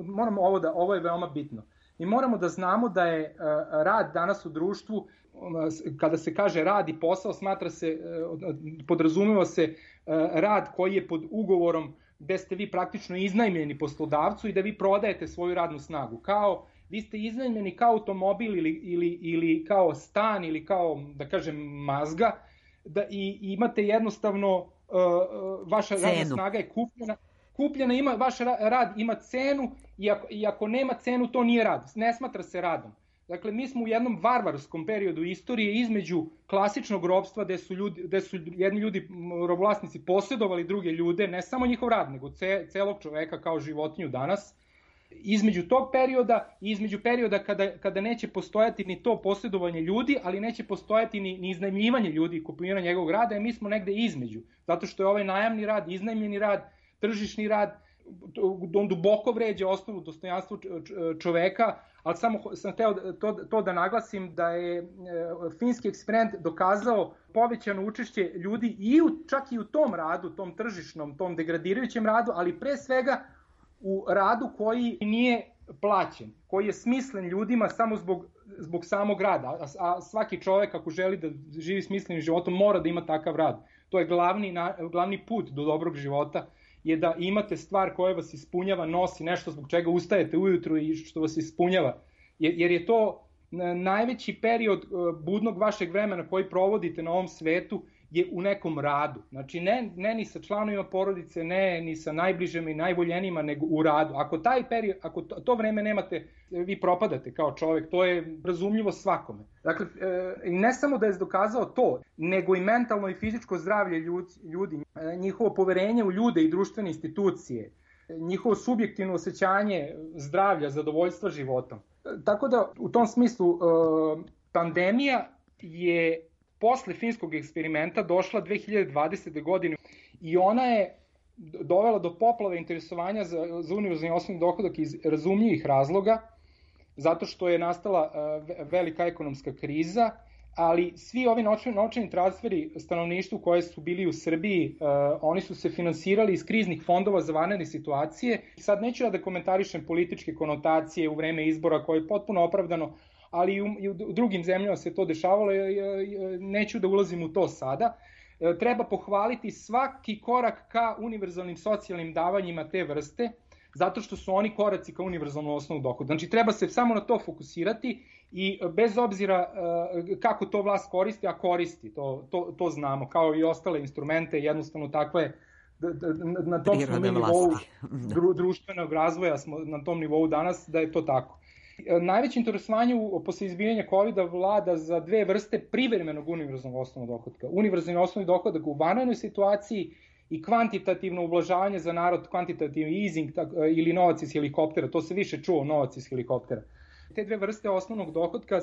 moramo ovo je veoma bitno. Mi moramo da znamo da je rad danas u društvu, kada se kaže rad i posao, podrazumeva se rad koji je pod ugovorom gde ste vi praktično iznajmljeni poslodavcu i da vi prodajete svoju radnu snagu. Vi ste iznajmljeni kao automobil ili kao stan ili kao, da kažem, mazga, i imate jednostavno, vaša radna snaga je kupljena, vaš rad ima cenu i ako nema cenu, to nije rad, ne smatra se radom. Dakle, mi smo u jednom varvarskom periodu istorije između klasičnog ropstva gde su jedni ljudi, robovlasnici, posjedovali druge ljude, ne samo njihov rad, nego celog čoveka kao životinju danas. Između tog perioda i između perioda kada neće postojati ni to posjedovanje ljudi, ali neće postojati ni iznajmljivanje ljudi i kupovina njegovog rada, mi smo negde između. Zato što je ovaj najamni rad, iznajmljeni rad, tržišni rad, on duboko vređa osnovu dostojanstva čoveka, ali samo sam hteo to da naglasim da je finski eksperiment dokazao povećano učešće ljudi čak i u tom radu, tom tržišnom, tom degradirajućem radu, ali pre svega u radu koji nije plaćen, koji je smislen ljudima samo zbog samog rada, a svaki čovek ako želi da živi smislenim životom mora da ima takav rad. To je glavni put do dobrog života, je da imate stvar koja vas ispunjava, nosi nešto zbog čega ustajete ujutru i što vas ispunjava. Jer je to najveći period budnog vašeg vremena koji provodite na ovom svetu je u nekom radu. Znači ne ni sa članovima porodice, ne ni sa najbližima i najvoljenijima, nego u radu. Ako to vreme nemate, vi propadate kao čovek, to je razumljivo svakome. Dakle, ne samo da je dokazao to, nego i mentalno i fizičko zdravlje ljudi, njihovo poverenje u ljude i društvene institucije, njihovo subjektivno osjećanje zdravlja, zadovoljstva životom. Tako da, u tom smislu, pandemija je posle finskog eksperimenta došla 2020. godine i ona je dovela do poplave interesovanja za univerzalni osnovni dohodak iz razumljivih razloga, zato što je nastala velika ekonomska kriza, ali svi ovi novčani transferi stanovništvu koje su bili u Srbiji, oni su se finansirali iz kriznih fondova za vanredne situacije. Sad neću da komentarišem političke konotacije u vreme izbora koje je potpuno opravdano, ali i u drugim zemljama se to dešavalo, neću da ulazim u to sada. Treba pohvaliti svaki korak ka univerzalnim socijalnim davanjima te vrste, zato što su oni koraci ka univerzalnom osnovu dohoda. Znači, treba se samo na to fokusirati i bez obzira kako to vlast koristi, a koristi, to znamo, kao i ostale instrumente, jednostavno takva je, na tom smo nivou društvenog razvoja, smo na tom nivou danas, da je to tako. Najveće interesovanje posle izbijanja COVID-a vlada za dve vrste privremenog univerzalnog osnovnog dohodka. Univerzalni osnovni dohodak u vanrednoj situaciji i kvantitativno ublažavanje za narod, kvantitativni easing ili novac iz helikoptera, to se više čuo, novac iz helikoptera. Te dve vrste osnovnog dohodka,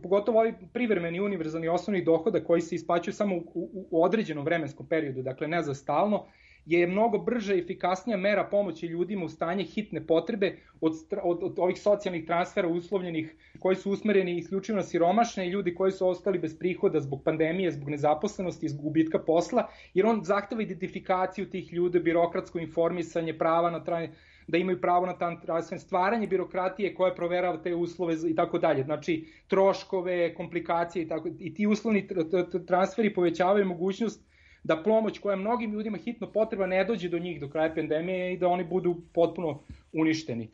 pogotovo ovaj privremeni univerzalni osnovni dohodak koji se isplaćuje samo u određenom vremenskom periodu, dakle ne za stalno, je mnogo brža i efikasnija mera pomoći ljudima u stanje hitne potrebe od ovih socijalnih transfera uslovljenih koji su usmereni isključivo na siromašne i ljudi koji su ostali bez prihoda zbog pandemije, zbog nezaposlenosti, zbog gubitka posla, jer on zahteva identifikaciju tih ljudi, birokratsko informisanje, prava na da imaju pravo na transfer, stvaranje birokratije koja proverava te uslove i tako dalje. Znači, troškove, komplikacije i ti uslovni transferi povećavaju mogućnost da pomoć koja mnogim ljudima hitno potreba ne dođe do njih do kraja pandemije i da oni budu potpuno uništeni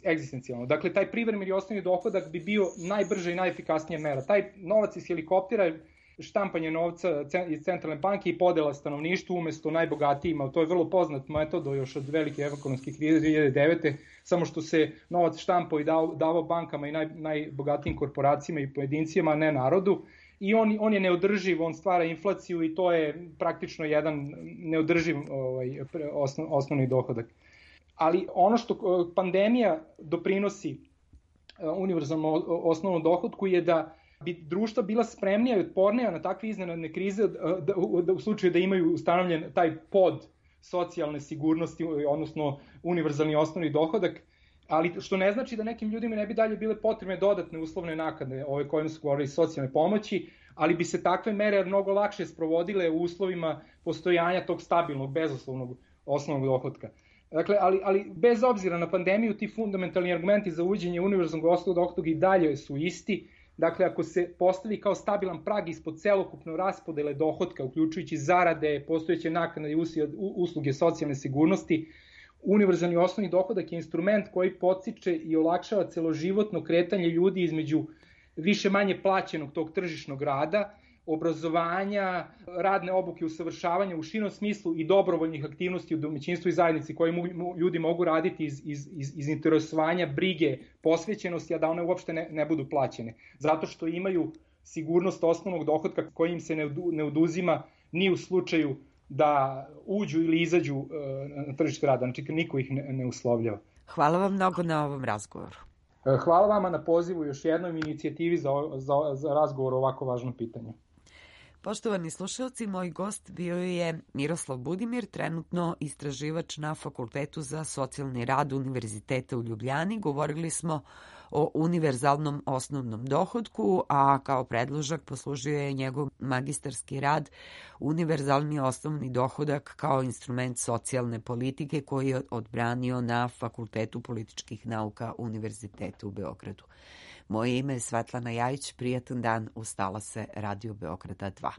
egzistencijalno. Dakle, taj privremeni osnovni dohodak bi bio najbrža i najefikasnija mera. Taj novac iz helikoptera, štampanje novca iz centralne banke i podela stanovništvu umesto najbogatijima, to je vrlo poznat metod još od velike ekonomske krize 2009. Samo što se novac štampao i davao bankama i najbogatijim korporacijama i pojedincima, a ne narodu. I on je neodrživ, on stvara inflaciju i to je praktično jedan neodrživ osnovni dohodak. Ali ono što pandemija doprinosi univerzalnom osnovnom dohodku je da bi društva bila spremnija i otpornija na takve iznenadne krize u slučaju da imaju ustanovljen taj pod socijalne sigurnosti, odnosno univerzalni osnovni dohodak. ali što ne znači da nekim ljudima ne bi dalje bile potrebne dodatne uslovne naknade, ove kojima su govorili socijalne pomoći, ali bi se takve mere mnogo lakše sprovodile u uslovima postojanja tog stabilnog, bezuslovnog osnovnog dohotka. Dakle, ali bez obzira na pandemiju, ti fundamentalni argumenti za uvođenje univerzalnog osnovnog dohotka i dalje su isti. Dakle, ako se postavi kao stabilan prag ispod celokupno raspodele dohotka, uključujući zarade, postojeće naknade i usluge socijalne sigurnosti, univerzalni osnovni dohodak je instrument koji podstiče i olakšava celoživotno kretanje ljudi između više manje plaćenog tog tržišnog rada, obrazovanja, radne obuke, usavršavanja u širom smislu i dobrovoljnih aktivnosti u domaćinstvu i zajednici koje ljudi mogu raditi iz interesovanja, brige, posvećenosti, a da one uopšte ne budu plaćene. Zato što imaju sigurnost osnovnog dohotka koji im se ne oduzima ni u slučaju da uđu ili izađu na tržište rada. Znači, niko ih ne uslovljava. Hvala vam mnogo na ovom razgovoru. Hvala vama na pozivu još jednom inicijativi za razgovor o ovako važnom pitanju. Poštovani slušalci, moj gost bio je Miroslav Budimir, trenutno istraživač na Fakultetu za socijalni rad Univerziteta u Ljubljani. Govorili smo o univerzalnom osnovnom dohotku, a kao predložak poslužio je njegov magistarski rad Univerzalni osnovni dohodak kao instrument socijalne politike koji je odbranio na Fakultetu političkih nauka Univerziteta u Beogradu. Moje ime je Svetlana Jajić, prijatan dan, ustala se Radio Beograda 2.